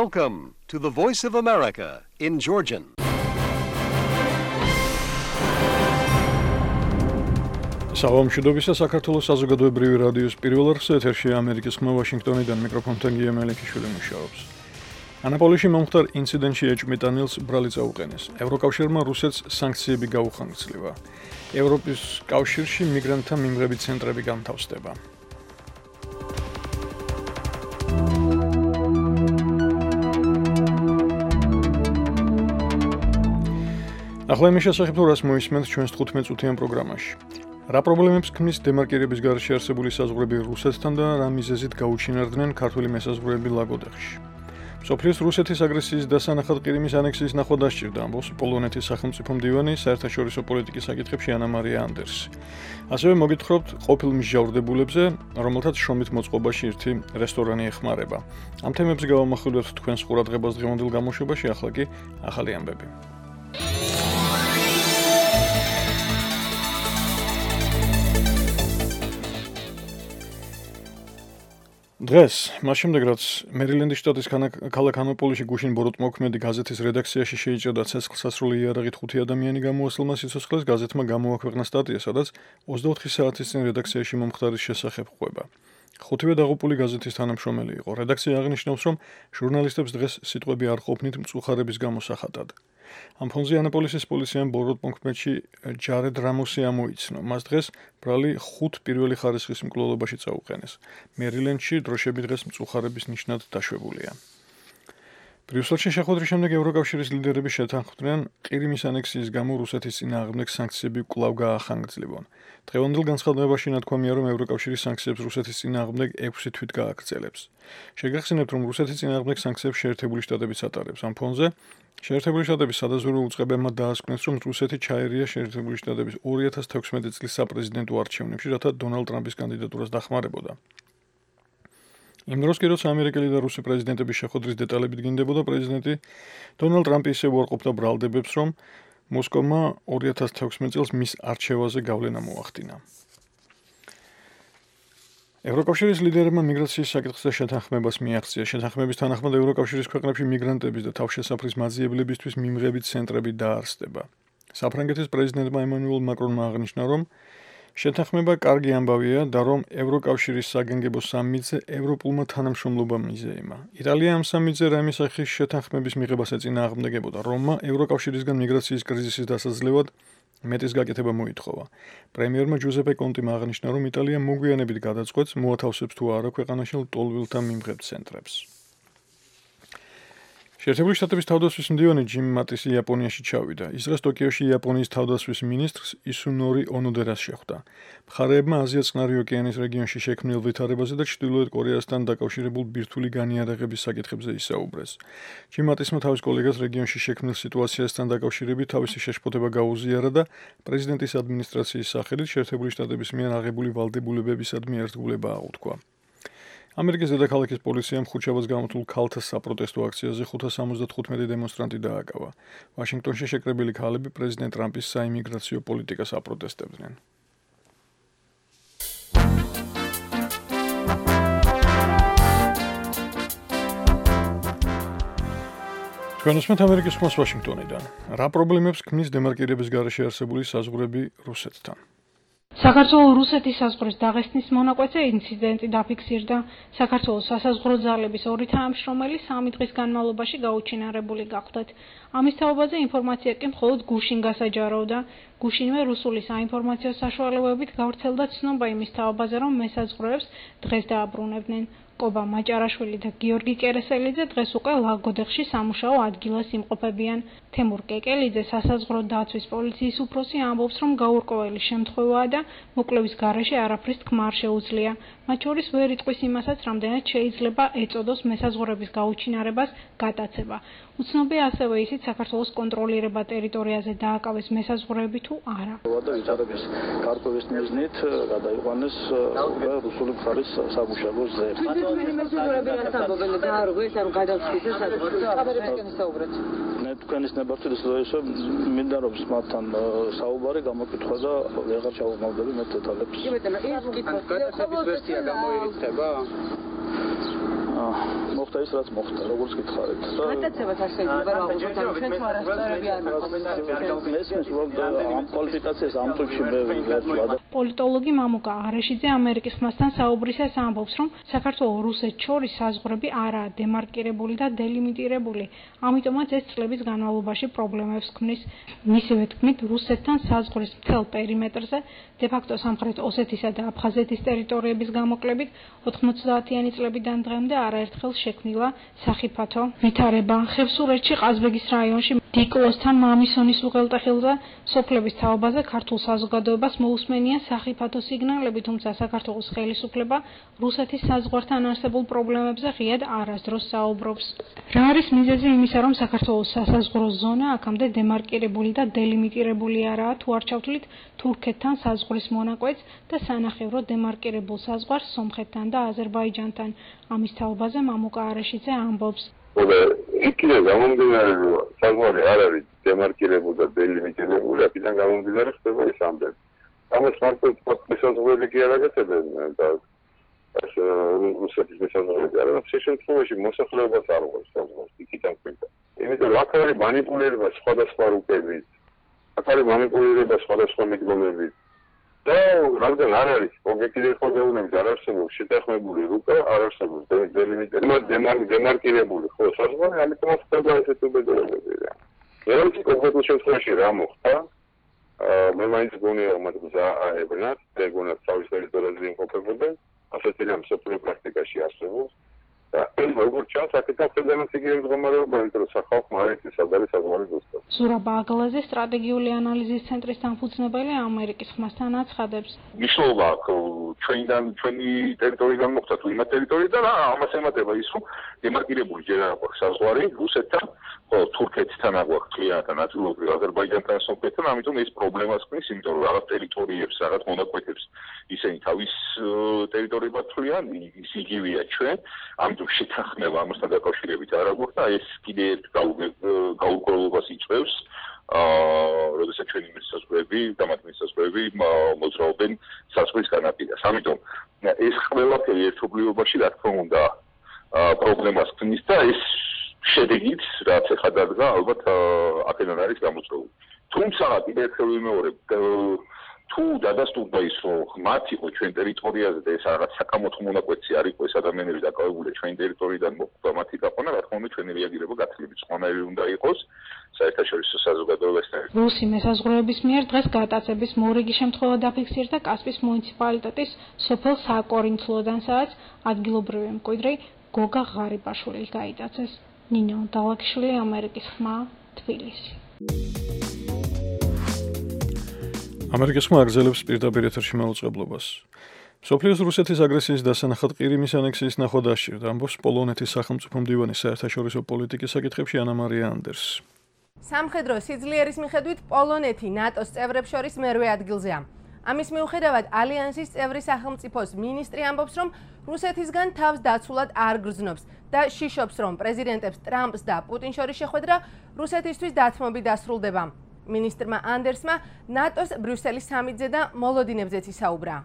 Welcome to the Voice of America in Georgian. Საღამოშიდობისა საქართველოს საზოგადოებრივი რადიოს პირველ არხზე ეთერშია ამერიკის ხმა ვაშინგტონიდან მიკროფონთან გია მელიქიშვილი მუშაობს. ანაპოლიში მომხდარ ინციდენტში ეჭვმიტანილს ბრალი წაუყენეს. ევროკავშირმა რუსეთს სანქციები გაუხანგრძლива. ევროპის კავშირში მიგრანტთა მიმღები ცენტრები განთავსდება. ახლა იმის შესახებ თუ რას მოისმენთ ჩვენს 15 წუთიან პროგრამაში. რა პრობლემებს ქმნის დემარკირების გარეშე არსებული საზღვრები რუსეთთან და რა მიზეზით გაუჩინარდნენ ქართველი მესაზღვრეები ლაგოდეხში. მსოფლიოს რუსეთის აგრესიის დასანახად ყირიმის ანექსიის ნახვა დასჭირდა, ამბობს პოლონეთის სახელმწიფო მდივანი საერთაშორისო პოლიტიკის საკითხებში ანა მარია ანდერსი. ასევე მოგითხრობთ ყოფილ მსჯავრდებულებზე, რომელთაც შრომით მოწყობაში ერთი რესტორანი ეხმარება. ამ თემებზე გავამახვილებთ თქვენს ყურადღებას დღევანდელ გამოშვებაში, ახლა კი ახალი ამბები. დღეს, მას შემდეგ რაც მერილენდის შტატის ქალაქ ანაპოლიში გუშინ ბოროტმოქმედი გაზეთის რედაქციაში შეიჭრა ცეცხლსასროლი იარაღით 5 ადამიანი გამოასლმა სიცოცხლეს, გაზეთმა გამოაქვეყნა სტატია, სადაც 24 საათის წინ რედაქციაში მომხდარის შესახებ ყვება. ხუთივე დაღუპული გაზეთის თანამშრომელი იყო. რედაქცია აღნიშნავს, რომ ჟურნალისტებს დღეს სიტყვები არ ყოფნით მწუხარების გამოსახატად. ამ ფონზე ანაპოლისის პოლიციამ ბოროტმოქმედში ჯარედ რამოსი ამოიცნო. მას დღეს ბრალი 5 პირველი ხარისხის მკვლელობაში წაუყენეს. მერილენდში დროშები დღეს მწუხარების ნიშნად დაშვებულია. ბრიუსელში შეხვედრის შემდეგ ევროკავშირის ლიდერები შეთანხმდნენ ყირიმის ანექსიის გამო რუსეთის წინააღმდეგ სანქციები კვლავ გაახანგრძლივონ. დღევანდელ განცხადებაში ნათქვამია, რომ ევროკავშირის სანქციებს რუსეთის წინააღმდეგ 6 თვით გააგრძელებს. შეგახსენებთ, რომ რუსეთის წინააღმდეგ სანქციებს შეერთებული შტატებიც ატარებს. ამ ფონზე შეერთებული შტატების სადაზვერვო უწყებებმა დაასკვნეს, რომ რუსეთი ჩაერია შეერთებული შტატების 2016 წლის საპრეზიდენტო არჩევნებში, რათა დონალდ ტრამპის კანდიდატურას დახმარებოდა. იმ დროს კი როცა ამერიკელი და რუსი პრეზიდენტების შეხვედრის დეტალები დგინდებოდა, პრეზიდენტი დონალდ ტრამპი ისევ უარყოფდა ბრალდებებს, რომ მოსკოვმა 2016 წელს მის არჩევაზე გავლენა მოახდინა. ევროკავშირის ლიდერებმა მიგრაციის საკითხზე შეთანხმებას მიაღწია. შეთანხმების თანახმად ევროკავშირის ქვეყნებში მიგრანტების და თავშესაფრის მაძიებლებისთვის მიმღები ცენტრები დაარსდება. საფრანგეთის პრეზიდენტმა ემანუელ მაკრონმა აღნიშნა, რომ შეთანხმება კარგი ამბავია და რომ ევროკავშირის საგანგებო სამიტზე ევროპულმა თანამშრომლობამ მიზეიმა. იტალია ამ სამიტზე რამის სახის შეთანხმების მიღებას ეწინააღმდეგებოდა. რომმა ევროკავშირისგან მიგრაციის კრიზისის დასაძლევად მეტის გაკეთება მოითხოვა. პრემიერმა ჯუზეპე კონტიმ აღნიშნა, რომ იტალია მოგვიანებით გადაწყვეტს, მოათავსებს თუ არა ქვეყანაში ლტოლვილთა მიმღებ ცენტრებს. შეერთებული შტატების თავდაცვის მდივანი ჯიმ მატისი იაპონიაში ჩავიდა. ის დღეს ტოკიოში იაპონიის თავდაცვის მინისტრს ისუნორი ონოდერას შეხვდა. მხარეებმა აზია-წყნარი ოკეანის რეგიონში შექმნილ ვითარებაზე და ჩრდილოეთ კორეასთან დაკავშირებულ ბირთვული განიარაღების საკითხებზე ისაუბრეს. ჯიმ მატისმა თავის კოლეგას რეგიონში შექმნილ სიტუაციასთან დაკავშირებით თავისი შეშფოთება გაუზიარა და პრეზიდენტის ადმინისტრაციის სახელით შეერთებული შტატების მიერ აღებული ვალდებულებებისადმი ერთგულება აღუთქვა. ამერიკის დედაქალაქის პოლიციამ ხუთშაბათს გამოთვლილ ქალთა საპროტესტო აქციაზე 575 დემონსტრანტი დააკავა. ვაშინგტონში შეკრებილი ქალები პრეზიდენტ ტრამპის საიმიგრაციო პოლიტიკას აპროტესტებდნენ. ჩვენ უსმენთ ამერიკის ხმას ვაშინგტონიდან. რა პრობლემებს ქმნის დემარკირების გარეშე არსებული საზღვრები რუსეთთან? საქართველოს რუსეთის საზღვრის დაღესტნის მონაკვეთზე ინციდენტი დაფიქსირდა. საქართველოს სასაზღვრო ძალების 2 თანამშრომელი 3 დღის განმავლობაში გაუჩინარებული გახდათ. ამის თაობაზე ინფორმაცია კი მხოლოდ გუშინ გასაჯაროვდა. გუშინვე რუსული საინფორმაციო საშუალებებით გავრცელდა ცნობა იმის თაობაზე, რომ მესაზღვრეებს დღეს დააბრუნებდნენ. კობა მაჭარაშვილი და გიორგი კერესელიძე დღეს უკვე ლაგოდეხში სამუშაო ადგილას იმყოფებიან. თემურ კეკელიძე სასაზღვრო დაცვის პოლიციის უფროსი ამბობს, რომ გაურკვეველი შემთხვევაა და მოკლევის გარეშე არაფრის თქმა არ შეუძლია. მათ შორის ვერ იტყვის იმასაც, რამდენად შეიძლება ეწოდოს მესაზღვრების გაუჩინარებას გატაცება. უცნობია ასევე ისიც, საქართველოს კონტროლირება ტერიტორიაზე დააკავეს მესაზღვრეები თუ არა. ვითარების გარკვევის მიზნით გადაიყვანეს რუსული მხარის სამუშაო ზე. თქვენის ნებართვით ისე მინდა რომ მათთან საუბარი გამოკითხვა და ვეღარ ჩავუმავდები მე დეტალებს. მოხდა ის რაც მოხდა, როგორც გითხარით. გატაცებათ არ შეიძლება რა უბრალოდ ჩვენ თუ არასწორები არ ამ კვალიფიკაციას ამ წუთში მე ვერ ვადა. პოლიტოლოგი მამუკა აღრეშიძე ამერიკის ხმასთან საუბრისას ამბობს, რომ საქართველოს რუსეთს შორის საზღვრები არაა დემარკირებული და დელიმიტირებული, ამიტომაც ეს წლების განმავლობაში პრობლემებს ქმნის. მისივე თქმით, რუსეთთან საზღვრის მთელ პერიმეტრზე დე-ფაქტო სამხრეთ ოსეთისა და აფხაზეთის ტერიტორიების გამოკლებით 90-იანი წლებიდან დღემდე არაერთხელ შექმნილა სახიფათო ვითარება. ხევსურეთში ყაზბეგის რაიონში დიკლოსთან მამისონის უღელტეხილზე სოფლების თაობაზე ქართულ საზოგადოებას მოусმენია სახიფათო სიგნალები, თუმცა საქართველოს ხელისუფლება რუსეთის საზღვართან არსებულ პრობლემებზე ღიად არასდროს საუბრობს. რა არის მიზეზი იმისა, რომ საქართველოს სასაზღვრო ზონა აქამდე დემარკირებული და დელიმიტირებული არაა, თუ არ ჩავთვლით თურქეთთან საზღვრის მონაკვეთს და სანახევრო დემარკირებულ საზღვარს სომხეთთან და აზერბაიჯანთან. ამის თაობაზე მამუკა აღრეშიძე ამბობს. იქიდან გამომდინარე, რომ საზღვარი არ არის დემარკირებული და დელიმიტირებული, აქედან გამომდინარე ხდება ეს ამბები. ამას მარტო შესაძლებელი კი არ აკეთებენ და ეს რუსეთის შესაძლებელი არ არის, შემთხვევაში მოსახლეობას არ უყურებს საზღვარს იქიდან ქვია. იმიტომ აქ არის მანიპულირება სხვადასხვა რუკებით, აქ არის მანიპულირება სხვადასხვა მიდგომებით. და რადგან არ არის ობიექტიური ხელოვნების არ არსებობს შეთანხმებული რუკა, არ არსებობს დემარკირებული ხო საზღვარი, ამიტომ ხდება ესეთი უბედურებები. ერთი კონკრეტულ შემთხვევაში რა მოხდა? მე მაინც გონია რომ მათ გზა აებრნათ, ეგონათ თავის ტერიტორიაზე იმყოფებოდნენ, ასეთი რამ სოფლიო პრაქტიკაში არსებობს. და როგორც ჩანს, აქედან ხდებოდა იგივე მდგომარეობა, იმიტომ რომ სახალხო მარეთის სადარი საზღვარი ზუსტად. ზურაბ აგლაძე სტრატეგიული ანალიზის ცენტრის დამფუძნებელი ამერიკის ხმასთან აცხადებს. მნიშვნელობა აქვს ჩვენი ტერიტორიიდან მოხდა თუ იმ ტერიტორიიდან, ამას ემატება ის, რომ დემარკირებული ჯერ არ აქვს საზღვარი რუსეთთან, ხოლო თურქეთთან აქვს კლიანთან, ნაწილობრივ აზერბაიჯანთან, სომხეთთან, ამიტომ ეს პრობლემას ქმნის, იმიტომ რომ რაღაც ტერიტორიებს, რაღაც მონაკვეთებს ისინი თავის ტერიტორიებად თვლიან, ის იგივეა ჩვენ, ამიტომ შეთანხმება ამასთან დაკავშირებით არ აქვს და ეს კიდე ერთ გაურკვევლობას იწვევს, როდესაც ჩვენი მიწასწრები და მათ მიწასწრები მოძრაობენ საზღვრის განაპირას. ამიტომ ეს ყველაფერი ერთობლიობაში რა თქმა უნდა პრობლემას ქმნის და ეს შედეგით რაც ახლა დადგა, ალბათ აქედან არის გამოწვეული. თუმცა კიდე ერთხელ ვიმეორებ, თუ დადასტურდა ის, რომ მათ იყო ჩვენ ტერიტორიაზე და ეს რაღაც საკამოთხო მონაკვეთი არ იყო ეს ადამიანები დაკავებული ჩვენი ტერიტორიიდან მოხვდა მათი გაყვანა, რა თქმა უნდა ჩვენი რეაგირება გაცილებით სხვანაირი უნდა იყოს საერთაშორისო საზოგადოებასთან. რუსი მესაზღვრეობის მიერ დღეს გატაცების მორიგი შემთხვევა დაფიქსირდა კასპის მუნიციპალიტეტის სოფელ საკორინთლოდან, სადაც ადგილობრივი მკვიდრი გოგა ღარიბაშვილი გაიტაცეს. ნინო დალაკიშვილი, ამერიკის ხმა, თბილისი. ამერიკის ხმა აგრძელებს პირდაპირ ეთერში მაუწყებლობას. მსოფლიოს რუსეთის აგრესიის დასანახად ყირიმის ანექსიის ნახვა დასჭირდა, ამბობს პოლონეთის სახელმწიფო მდივანი საერთაშორისო პოლიტიკის საკითხებში ანა მარია ანდერსი. სამხედრო სიძლიერის მიხედვით პოლონეთი ნატოს წევრებს შორის მერვე ადგილზეა. ამის მიუხედავად ალიანსის წევრი სახელმწიფოს მინისტრი ამბობს, რომ რუსეთისგან თავს დაცულად არ გრძნობს და შიშობს, რომ პრეზიდენტებს ტრამპს და პუტინს შორის შეხვედრა რუსეთისთვის დათმობით დასრულდება. მინისტრმა ანდერსმა ნატოს ბრიუსელის სამიტზე და მოლოდინებზეც ისაუბრა.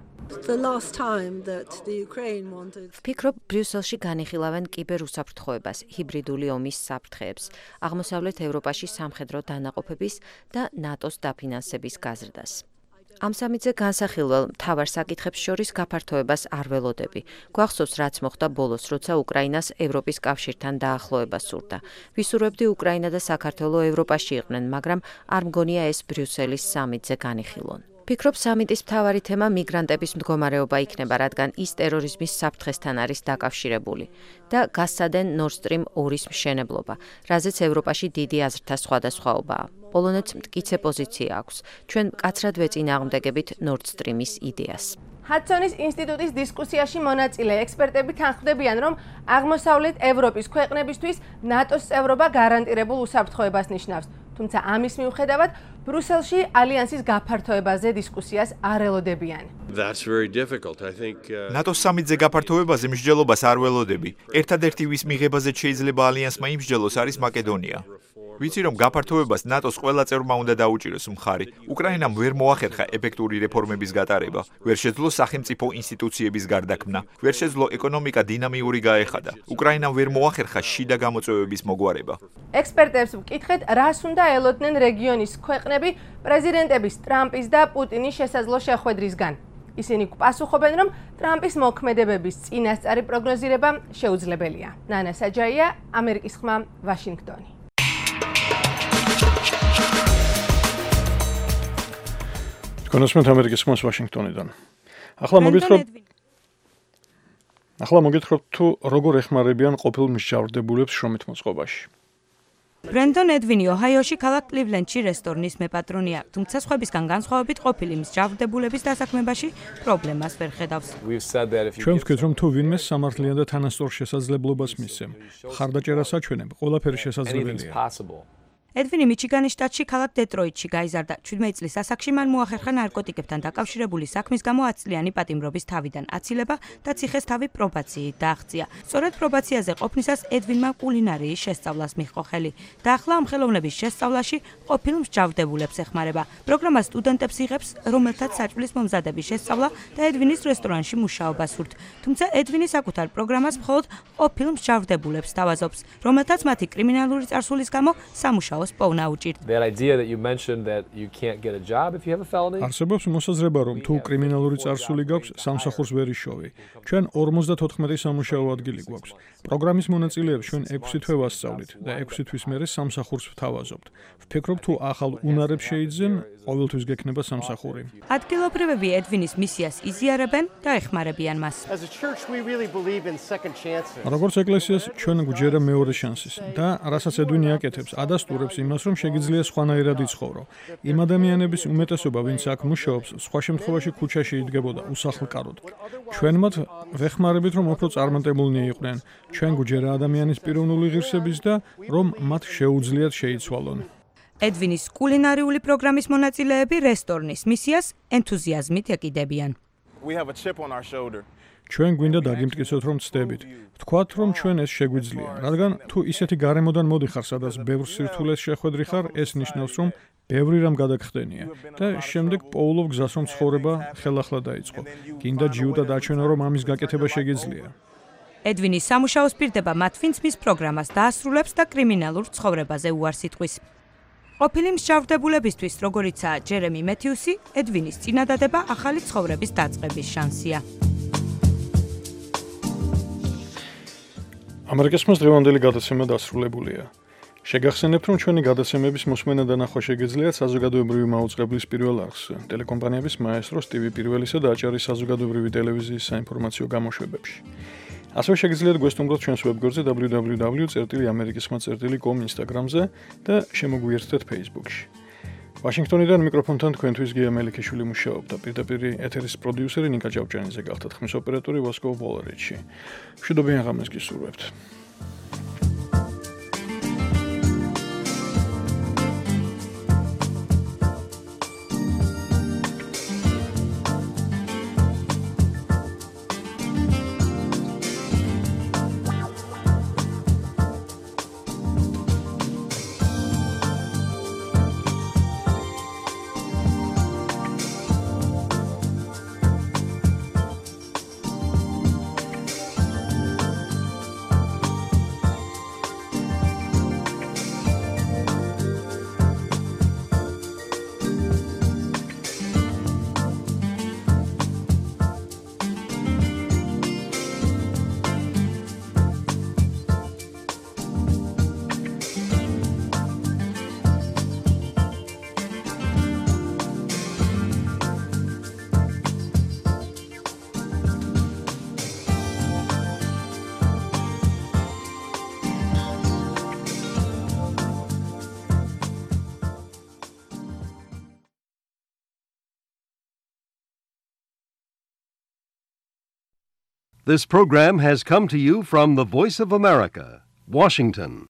ვფიქრობ, ბრიუსელში განიხილავენ კიბერუსაფრთხოებას, ჰიბრიდული ომის საფრთხეებს, აღმოსავლეთ ევროპაში სამხედრო დანაყოფების და ნატოს დაფინანსების გაზრდას. ამ სამიტზე განსახილველ მთავარ საკითხებს შორის გაფართოებას არ ველოდები. გვახსოვს, რაც მოხდა ბოლოს, როცა უკრაინას ევროპის კავშირთან დაახლოება სურდა. ვისურვებდი უკრაინა და საქართველო ევროპაში იყვნენ, მაგრამ არ მგონია ეს ბრიუსელის სამიტზე განიხილონ. ვფიქრობ, სამიტის მთავარი თემა მიგრანტების მდგომარეობა იქნება, რადგან ის ტერორიზმის საფრთხესთან არის დაკავშირებული და გასცადენ Nord Stream 2-ის მშენებლობა, რაზეც ევროპაში დიდი აზრთა სხვადასხვაობაა. პოლონეთს მტკიცე პოზიცია აქვს. ჩვენ მკაცრად ვეწინააღმდეგებით Nord Stream-ის იდეას. ჰადსონის ინსტიტუტის დისკუსიაში მონაწილე ექსპერტები თანხმდებიან, რომ აღმოსავლეთ ევროპის ქვეყნებისთვის ნატოს წევრობა გარანტირებულ უსაფრთხოებას ნიშნავს. თუმცა ამის მიუხედავად, ბრუსელში ალიანსის გაფართოებაზე დისკუსიას არ ელოდებიან. ნატოს სამიტზე გაფართოებაზე მსჯელობას არ ველოდები. ერთადერთი ვის მიღებაზე შეიძლება ალიანსმა იმსჯელოს არის მაკედონია. ვიცი რომ გაფართოებას ნატოს ყველა წევრმა უნდა დაუჭიროს მხარი. უკრაინამ ვერ მოახერხა ეფექტური რეფორმების გატარება, ვერ შეძლო სახელმწიფო ინსტიტუციების გარდაქმნა, ვერ შეძლო ეკონომიკა დინამიური გაეხადა. უკრაინამ ვერ მოახერხა შიდა გამოწვევების მოგვარება. ექსპერტებს ვკითხეთ, რას უნდა ელოდნენ რეგიონის ქვეყნები პრეზიდენტების ტრამპის და პუტინის შესაძლო შეხვედრისგან. ისინი პასუხობენ, რომ ტრამპის მოქმედებების წინასწარი პროგნოზირება შეუძლებელია. ნანა საჯაია, ამერიკის ხმა, ვაშინგტონი. კონსმეთ ამერიკის ხმას ვაშინგტონიდან. ახლა მოგითხრობთ თუ როგორ ეხმარებიან ყოფილ მსჯავრდებულებს შრომით მოწყობაში. ბრენდონ edvini ოჰაიოში ქალაქ კლივლენდში რესტორნის მეპატრონია, თუმცა სხვებისგან განსხვავებით ყოფილი მსჯავრდებულების დასაქმებაში პრობლემას ვერ ხედავს. ჩვენ ვთქვით, რომ თუ ვინმეს სამართლიან და თანასწორ შესაძლებლობას მისცემ, ხარდაჭერას აჩვენებ, ყველაფერი შესაძლებელია. edvini მიჩიგანის შტატში ქალაქ დეტროიტში გაიზარდა. 17 წლის ასაკში მან მოახერხა ნარკოტიკებთან დაკავშირებული საქმის გამო 10 წლიანი პატიმრობის თავიდან აცილება და ციხეს თავი პრობაციით დააღწია. სწორედ პრობაციაზე ყოფნისას edvinმა კულინარიის შესწავლას მიჰყო ხელი და ახლა ამ ხელოვნების შესწავლაში ყოფილ მსჯავრდებულებს ეხმარება. პროგრამა სტუდენტებს იღებს, რომელთაც საჭმლის მომზადების შესწავლა და edvinis რესტორანში მუშაობა სურთ. თუმცა edvini საკუთარ პროგრამას მხოლოდ ყოფილ მსჯავრდებულებს თავაზობს, რომელთაც მათი კრიმინალური წარსულის გამო სამუშაო არსებობს მოსაზრება, რომ თუ კრიმინალური წარსული გაქვს, სამსახურს ვერ იშოვი. ჩვენ 54 სამუშაო ადგილი გვაქვს. პროგრამის მონაწილეებს ჩვენ 6 თვე ვასწავლით და 6 თვის მერე სამსახურს ვთავაზობთ. ვფიქრობ, თუ ახალ უნარებს შეიძენ, ყოველთვის გექნება სამსახური. ადგილობრივები edvinis მისიას იზიარებენ და ეხმარებიან მას. როგორც ეკლესიას ჩვენ გვჯერა მეორე შანსის და რასაც edvini აკეთებს, ადასტურებს იმას, რომ შეგიძლია სხვანაირად იცხოვრო. იმ ადამიანების უმეტესობა, ვინც აქ მუშაობს, სხვა შემთხვევაში ქუჩაში იდგებოდა უსახლკაროდ. ჩვენ მათ ვეხმარებით, რომ უფრო წარმატებულნი იყვნენ. ჩვენ გვჯერა ადამიანის პიროვნული ღირსების და რომ მათ შეუძლიათ შეიცვალონ. edvinis კულინარიული პროგრამის მონაწილეები რესტორნის მისიას ენთუზიაზმით ეკიდებიან. ჩვენ გვინდა დაგიმტკიცოთ, რომ ცდებით. ვთქვათ, რომ ჩვენ ეს შეგვიძლია, რადგან თუ ისეთი გარემოდან მოდიხარ, სადაც ბევრ სირთულეს შეხვედრი ხარ, ეს ნიშნავს, რომ ბევრი რამ გადაგხდენია და შემდეგ პოულობ გზას, რომ ცხოვრება ხელახლა დაიწყო. გინდა ჯიუტა დაჩვენო, რომ ამის გაკეთება შეგიძლია. edvinis სამუშაოს პირდება მათ, ვინც მის პროგრამას დაასრულებს და კრიმინალურ ცხოვრებაზე უარს იტყვის. ყოფილი მსჯავრდებულებისთვის, როგორიცაა ჯერემი მეთიუსი, edvinis წინადადება ახალი ცხოვრების დაწყების შანსია. ამერიკის ხმას დღევანდელი გადაცემა დასრულებულია. შეგახსენებთ, რომ ჩვენი გადაცემების მოსმენა და ნახვა შეგიძლიათ საზოგადოებრივი მაუწყებლის პირველ არხს, ტელეკომპანიების მაესტროს, TV პირველისა და აჭარის საზოგადოებრივი ტელევიზიის საინფორმაციო გამოშვებებში. ასევე შეგიძლიათ გვესტუმროთ ჩვენს ვებგვერდზე www.amerikisxma.com Instagram-ზე და შემოგვიერთდეთ Facebook-ში. ვაშინგტონიდან მიკროფონთან თქვენთვის გია მელიქიშვილი მუშაობდა. პირდაპირ ეთერის პროდიუსერი ნიკა ჭავჭანიძე გახდათ, ხმის ოპერატორი ვასკო ვოლერიჩი. მშვიდობიან ღამეს გისურვებთ. This program has come to you from the Voice of America, Washington.